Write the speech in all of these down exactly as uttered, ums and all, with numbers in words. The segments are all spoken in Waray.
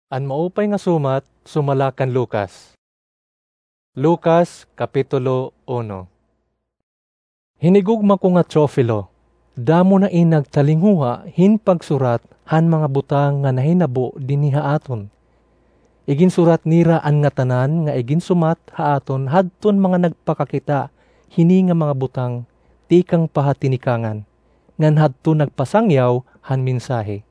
An maupay nga sumat sumala kan Lucas. Lucas, Kapitulo uno. Hinigugma ko nga Teofilo, damo na in nagtalinguha hin pagsurat han mga butang nga nahinabo dinhi ha aton. Iginsurat nira an ngatanan nga iginsumat ha aton hadton mga nagpakakita hini nga mga butang tikang pa ha tinikangan, ngan hadton nagpasangyaw han mensahe.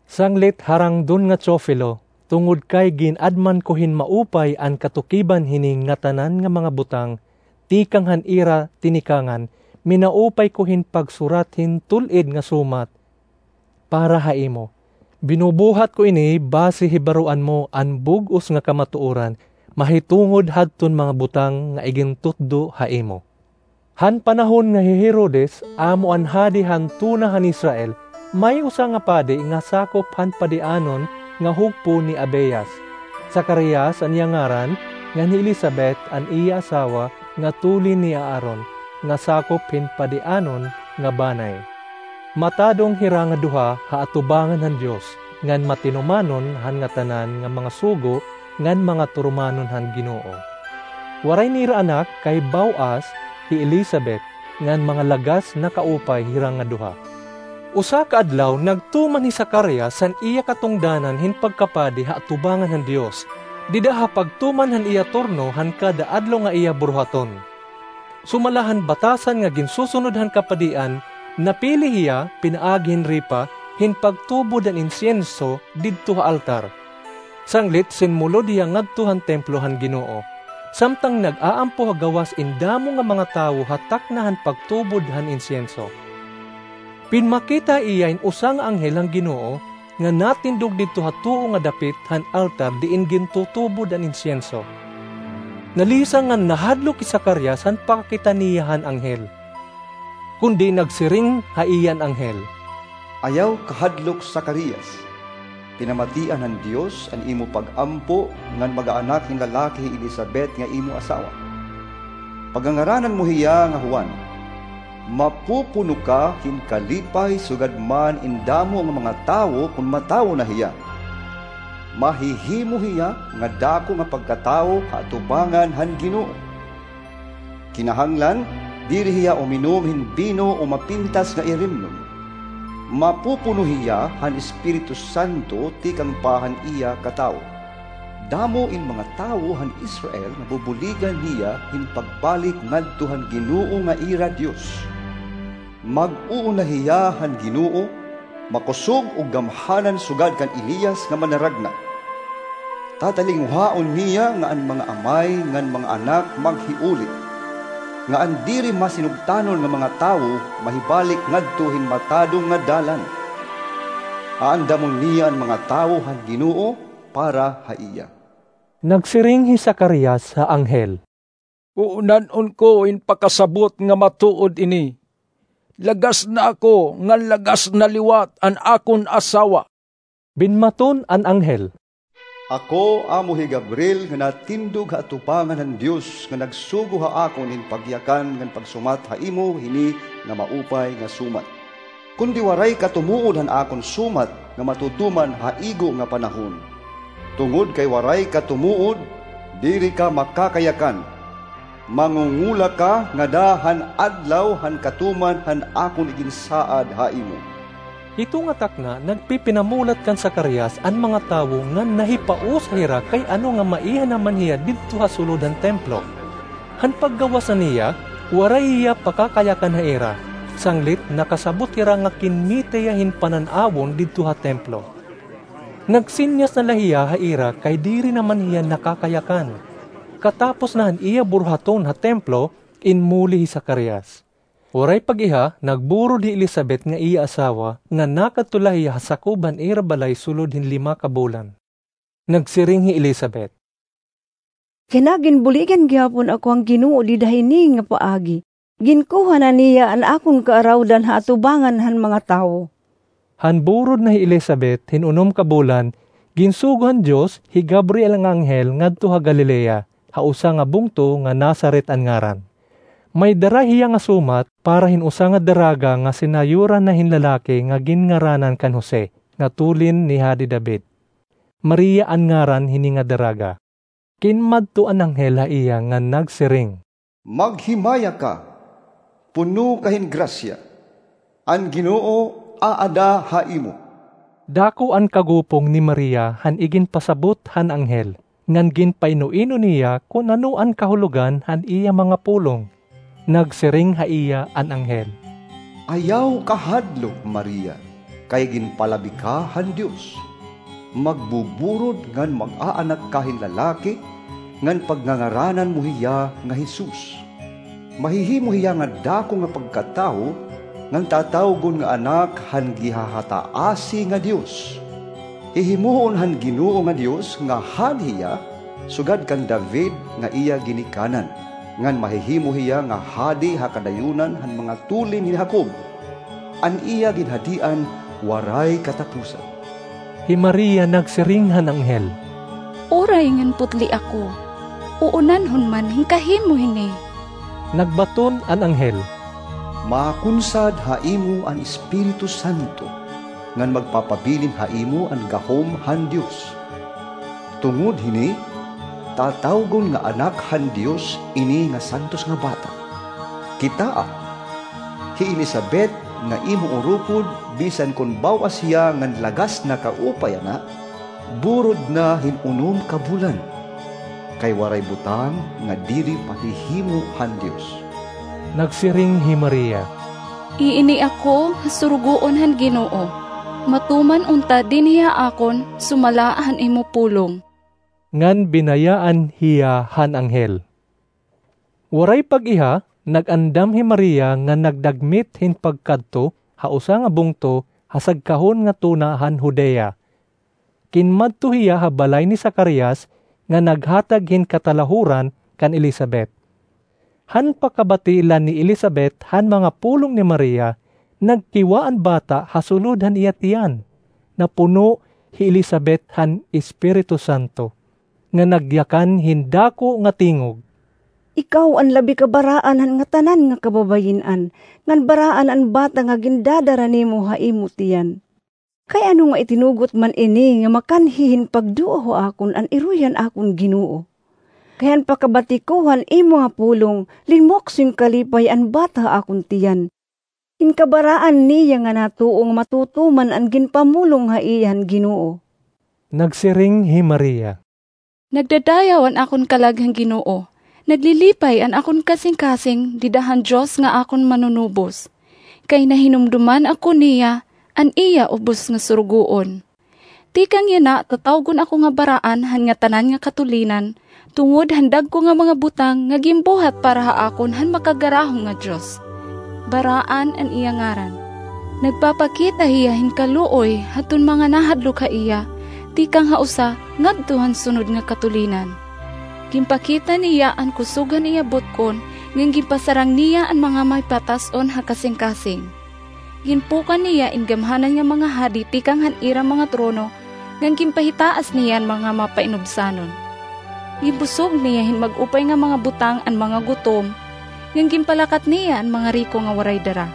Sanglit harangdon nga Teofilo, tungod kay gin-adman ko hin maupay an katukiban hini ngatanan nga mga butang tikang han ira tinikangan, minaupay ko hin pagsurat hin tul-id nga sumat para ha imo. Binubuhat ko ini basi hibaroan mo an bug-os nga kamatuoran mahitungod hadton mga butang nga igintutdo ha imo. Han panahon nga hi Herodes amo an hadi han tuna han Israel, may usa nga padi nga sakop han padianon nga hugpo ni Abias. Zacarias an iya ngaran, ngan hi Elisabet an iya asawa nga tulin ni Aaron, nga sakop hin padianon nga banay. Matadong hira nga duha ha atubangan han Dios, ngan matinumanon han ngatanan nga mga sugo ngan mga turumanon han Ginoo. Waray nira anak kay baw-as hi Elisabet, ngan mga lagas na kaupay hira nga duha. Usa ka adlaw nagtuman hi Zacarias han iya katungdanan hin pagkapadi ha atubangan han Dios, dida ha pagtuman han iya turno han kada adlaw nga iya buruhaton. Sumala han batasan nga ginsusunod han kapadian, napili hiya pinaagi hin ripa hin pagtubod han insiyenso didto ha altar. Sanglit sinmulod hiya ngadto han templo han Ginoo, samtang nag-aampo ha gawas in damo nga mga tawo ha takna han pagtubod han insiyenso. Pinmakita ha iya in usa nga anghel han Ginoo nga natindog didto ha tuo nga dapit han altar diin gintutubod an insiyenso. Nalisang ngan nahadlok hi Zacarias han pakakita niya han anghel. Kundi nagsiring ha iya an anghel, "Ayaw kahadlok, Zacarias. Pinamatian han Dios an imo pag-ampo ngan magaanak hin lalaki hi Elisabet nga imo asawa. Pagangaranan mo hiya nga Juan. Mapupuno ka hin kalipay sugad man in damo nga mga tawo kon matawo na hiya. Mahihimo hiya nga dako nga pagkatawo ha atubangan han Ginoo. Kinahanglan, diri hiya uminom hin bino o mapintas nga irimnon. Mapupuno hiya han Espiritu Santo tikang pa han iya katawo. Damo in mga tawo han Israel nga bubuligan hiya hin pagbalik ngadto han Ginoo nga ira Dios. Mag-uuna hiya han Ginoo, makusog ug gamhanan sugad kan Elias nga manaragna. Tatalinguhaon niya nga an mga amay ngan mga anak maghiuli, nga an diri masinugtanon nga mga tawo mahibalik ngadto hin matadong nga dalan. Aandamon niya an mga tawo han Ginoo para ha iya." Nagsiring hi Zacarias ha anghel, "Uunan-on ko in pakasabot nga matuod ini. Lagas na ako ngan lagas na liwat an akon asawa." Binmaton an anghel, "Ako amo hi Gabriel nga natindog ha atubangan han Dios nga nagsugo ha akon hin pagyakan ngan pagsumat ha imo hini nga maupay nga sumat. Kundi waray ka tumuod han akon sumat nga matutuman ha igo nga panahon. Tungod kay waray ka tumuod, diri ka makakayakan. Mangungula ka ngada han adlaw han katuman han akon iginsaad ha imo." Hito nga takna nagpipinamulat kan Zacarias an mga tawo ngan nahipausay hira kay ano nga maiha naman hiya didto ha sulod han templo. Han paggawas na niya, waray hiya pakakayakan ha ira, sanglit nakasabot hira nga kinmita hiya hin panan-awon didto ha templo. Nagsinyas na la hiya ha ira kay diri naman hiya nakakayakan. Katapos na han iya buruhaton ha templo, inmuli hi Zacarias. Waray pag-iha, nagburod hi Elisabet nga iya asawa nga nakadto la hiya ha sakob han ira balay sulod hin lima ka bulan. Nagsiring hi Elisabet, "Kinaginbuligan gihapon ako han Ginoo dida hini nga paagi. Ginkuha na niya an akon kaarawdan ha atubangan han mga tawo." Han burod na hi Elisabet hin unom ka bulan, ginsugo han Dios hi Gabriel nga anghel ngadto ha Galilea, ha usa nga bungto nga Nazaret an ngaran. May dara hiya nga sumat para hin usa nga daraga nga sinayuran na hin lalaki nga ginngaranan kan Jose, nga tulin ni Hadi David. Maria an ngaran hini nga daraga. Kinmadto an anghel ha iya ngan nagsiring, "Maghimaya ka, puno ka hin grasya, an Ginoo aada ha imo." Dako an kagupong ni Maria han iginpasabot han anghel, ngan ginpaino-ino niya kon ano an kahulogan han iya mga pulong. Nagsiring ha iya an anghel, "Ayaw kahadlok, Maria, kay ginpalabi ka han Dios. Magbuburod ngan mag-aanak ka hin lalaki, ngan pagngangaranan mo hiya nga Jesus. Mahihimo hiya nga dako nga pagkatawo, ngan tatawgon nga Anak han Gihahataasi nga Dios. Hihimuon han Ginoo nga Dios nga hadi hiya sugad kan David nga iya ginikanan, ngan mahihimo hiya nga hadi ha kadayonan han mga tulin ni Jacob. An iya ginhadian waray katapusan." Hi Maria nagsiring han anghel, "Uray ngan putli ako, uunanhon man hin kahimo hini." Nagbaton an anghel, "Makunsad ha imo an Espiritu Santo, ngan magpapabilin ha imo an gahom han Dios. Tungod hini, tatawgon nga Anak han Dios ini nga santos nga bata. Kitaa, hi Elisabet nga imo urupod, bisan kon baw-as hiya ngan lagas na kaupay yana, burod na hin unom ka bulan, kay waray butang nga diri pahihimo han Dios." Nagsiring hi Maria, "Iini ako nga surugoon han Ginoo. Matuman unta dinhi ha akon sumala han imo pulong." Ngan binayaan hiya han anghel. Waray pag-iha, nag-andam hi Maria ngan nagdagmit hin pagkadto ha usa nga bungto ha sagkahon nga tuna han Judea. Kinmadto hiya ha balay ni Zacarias nga naghatag hin katalahuran kan Elisabet. Han pakabati la ni Elisabet han mga pulong ni Maria, nagkiwa an bata ha sulod han iya tiyan. Napuno hi Elisabet han Espiritu Santo, nga nagyakan hin dako nga tingog, "Ikaw an labi kabaraan han ngatanan nga kababayin-an, ngan baraan an bata nga gindadara nimo ha imo tiyan. Kay ano nga itinugot man ini nga makanhi hin pagduo ha akon an iroy han akon Ginoo? Kay han pakabati ko han imo nga pulong, linmukso hin kalipay an bata ha akon tiyan. Hin kabaraan niya nga natuo nga matutuman an ginpamulong ha iya han Ginoo." Nagsiring hi Maria, "Nagdadayaw an akon kalag han Ginoo. Naglilipay an akon kasingkasing dida han Dios nga akon Manunubos. Kay nahinumduman ako niya an iya ubos nga surugoon. Tikang yana tatawgon ako nga baraan han ngatanan nga katulinan, tungod han dagko nga mga butang nga ginbuhat para ha akon han Makagarahom nga Dios. Baraan an iya ngaran. Nagpapakita hiya hin kaluoy hadton mga nahadlok ha iya, tikang ha usa ngadto han sunod nga katulinan. Ginpakita niya an kusog han iya butkon, ngan ginpasarang niya an mga mahipatas-on ha kasingkasing. Ginpukan niya in gamhanan nga mga hadi tikang han ira mga trono, ngan ginpahitaas niya an mga mapainubsanon. Ginbusog niya hin mag-upay nga mga butang an mga gutom, ngan ginpalakat niya an mga riko nga waray dara.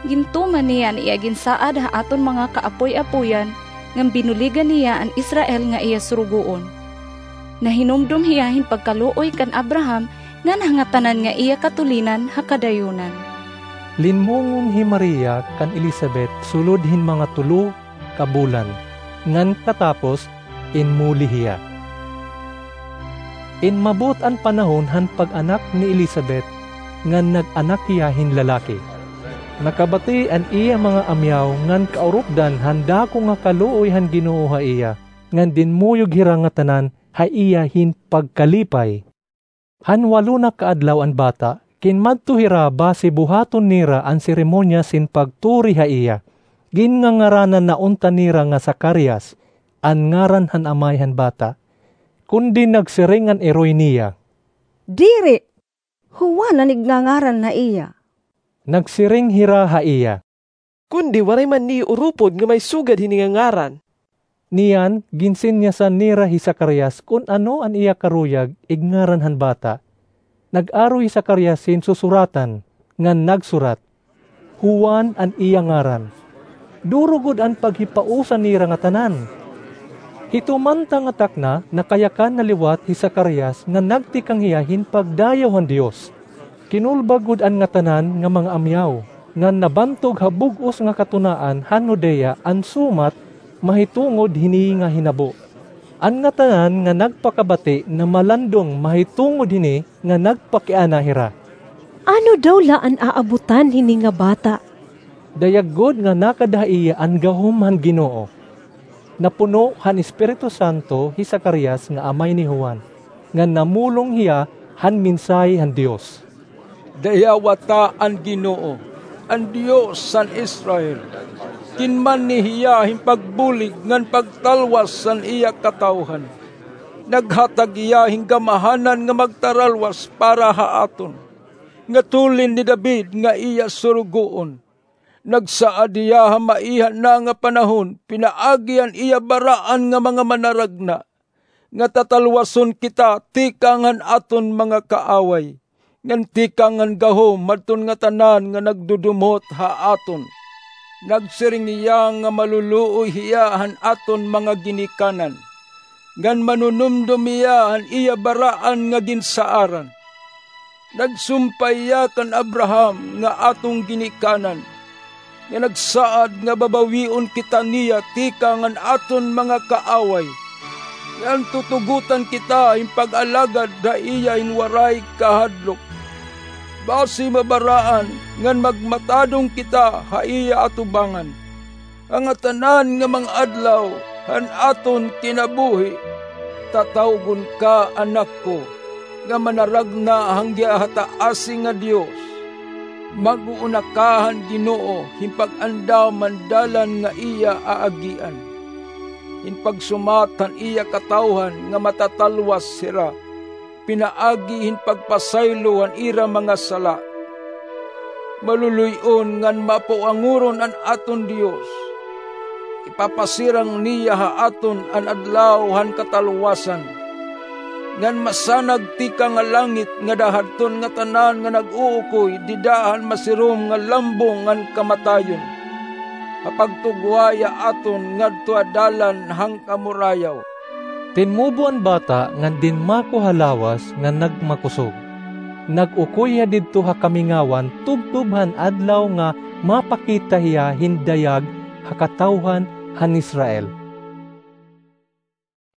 Gintuman niya an iya ginsaad ha aton mga kaapoy-apoyan, ngan binuligan niya an Israel nga iya surugoon. Nahinumdom hiya hin pagkaluoy kan Abraham ngan ha ngatanan nga iya katulinan ha kadayonan." Linmungon hi Maria kan Elisabet sulod hin mga tulo ka bulan, ngan katapos inmuli hiya. Inmabot an panahon han pag-anak ni Elisabet, ngan nag-anak hiya hin lalaki. Nakabati an iya mga amyaw ngan kaurupdan han dako nga kaluoy han Ginoo ha iya, ngan dinmuyog hira ngatanan ha iya hin pagkalipay. Han walo na ka adlaw an bata, kinmadto hira basi buhaton nira an seremonyas hin pagturi ha iya. Ginngangaranan na unta nira nga Zacarias an ngaran han amay han bata. Kundi nagsiring an iroy niya, "Diri, Juan an igngangaran ha iya." Nagsiring hira ha iya, "Kundi waray man niyo urupod nga may sugad hini nga ngaran." Niyan, ginsinyasan nira hi Zacarias kon ano an iya karuyag igngaran han bata. Nag-aro hi Zacarias hin susuratan, ngan nagsurat, "Juan an iya ngaran." Duro gud an paghipausa nira ngatanan. Hito man ta nga takna, nakayakan na liwat hi Zacarias nga nagtikang hiya hin pagdayaw han Dios. Kinulba gud an ngatanan nga mga amyaw, ngan nabantog ha bug-os nga katunaan han Judea an sumat mahitungod hini nga hinabo. An ngatanan nga nagpakabati namalandong mahitungod hini nga nagpakiana hira, "Ano daw la an aabutan hini nga bata?" Dayag gud nga nakada ha iya an gahom han Ginoo. Napuno han Espiritu Santo hi Zacarias nga amay ni Juan, ngan namulong hiya han mensahe han Dios. "Dayawa ta an Ginoo, an Dios han Israel. Ginmanhi hiya hin pagbulig ngan pagtalwas han iya katawhan. Naghatag hiya hin gamahanan nga magtaralwas para ha aton, nga tulin ni David nga iya surugoon. Nagsaad hiya ha maiha na nga panahon pinaagi han iya baraan nga mga manaragna, nga tatalwason kita tikang han aton mga kaaway, ngan tikang han gahom hadton ngatanan nga nagdudumot ha aton. Nagsiring hiya nga maluluoy hiya han aton mga ginikanan, ngan manunumdom hiya han iya baraan nga ginsaaran. Nagsumpay hiya kan Abraham nga aton ginikanan, nga nagsaad nga babawion kita niya tikang han aton mga kaaway, ngan tutugotan kita hin pag-alagad ha iya hin waray kahadlok, basi mabaraan ngan magmatadong kita ha iya atubangan. An ngatanan nga mga adlaw han aton kinabuhi, tatawgon ka, anak ko, nga manaragna han Gihataasi nga Dios. Mag-uuna ka han Ginoo hin pag-andam han dalan nga iya aagian, hin pagsumat han iya katawhan nga matatalwas hira pinaagi hin pagpasaylo han ira mga sala. Maluluy-on ngan mapawanguron an aton Dios. Ipapasirang niya ha aton an adlaw han katalwasan, ngan masanag tikang ha langit ngada hadton ngatanan nga nag-uukoy dida han masirom nga lambong han kamatayon, ha pagtugway ha aton ngadto ha dalan han kamurayaw." Tinmubo an bata ngan dinmako ha lawas nga nagmakusog. Nag-ukoy hiya didto ha kamingawan tubtob han adlaw nga mapakita hiya hin dayag ha katawhan han Israel.